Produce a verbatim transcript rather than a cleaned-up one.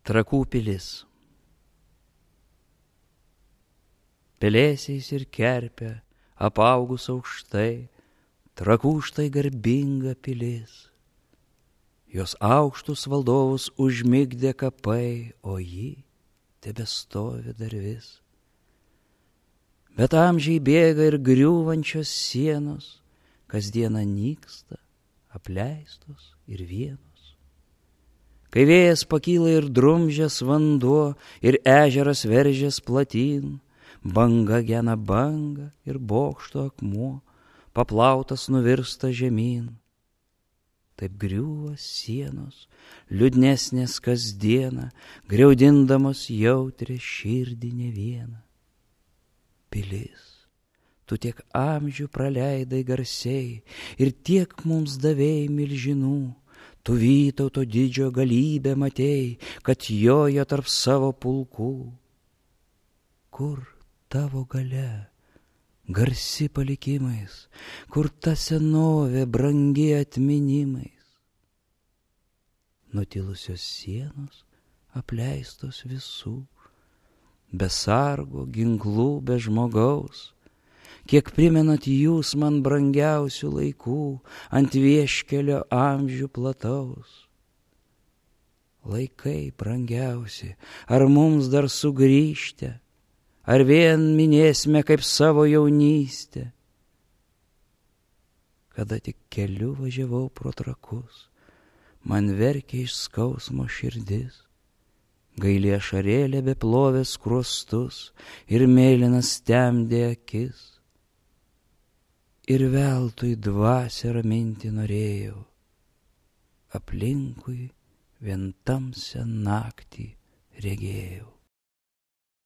Trakų pilis. Pelėsiais ir kerpė apaugus aukštai, Trakų štai garbinga pilis. Jos aukštus valdovus užmigdė kapai, o ji tebestovi dar vis. Bet amžiai bėga ir griūvančios sienos, kasdieną nyksta, apleistos ir vienos. Kai vėjas pakyla ir drumžęs vanduo, ir ežeras veržės platyn, banga gena banga ir bokšto akmuo, paplautas nuvirsta žemyn. Taip griūva sienos, liūdnesnės kasdieną, griaudindamos jautrę širdį ne vieną. Pilis, tu tiek amžių praleidai garsiai ir tiek mums davėjai milžinų, tu Vytauto didžio galybę matei, kad jojo tarp savo pulkų. Kur tavo galia, garsi palikimais, kur ta senovė brangi atminimais? Nutilusios sienos apleistos visų, be sargo, ginklų, be žmogaus. Kiek primenat jūs man brangiausių laikų, ant vieškelio amžių plataus. Laikai brangiausi, ar mums dar sugrįžte, ar vien minėsime kaip savo jaunystę? Kada tik keliu važiavau pro Trakus, man verkė iš skausmo širdis, gaili ašarėlė beplovė skruostus ir mėlynas temdė akis. Ir veltui dvasią raminti norėjau, aplinkui vien tamsią naktį regėjau.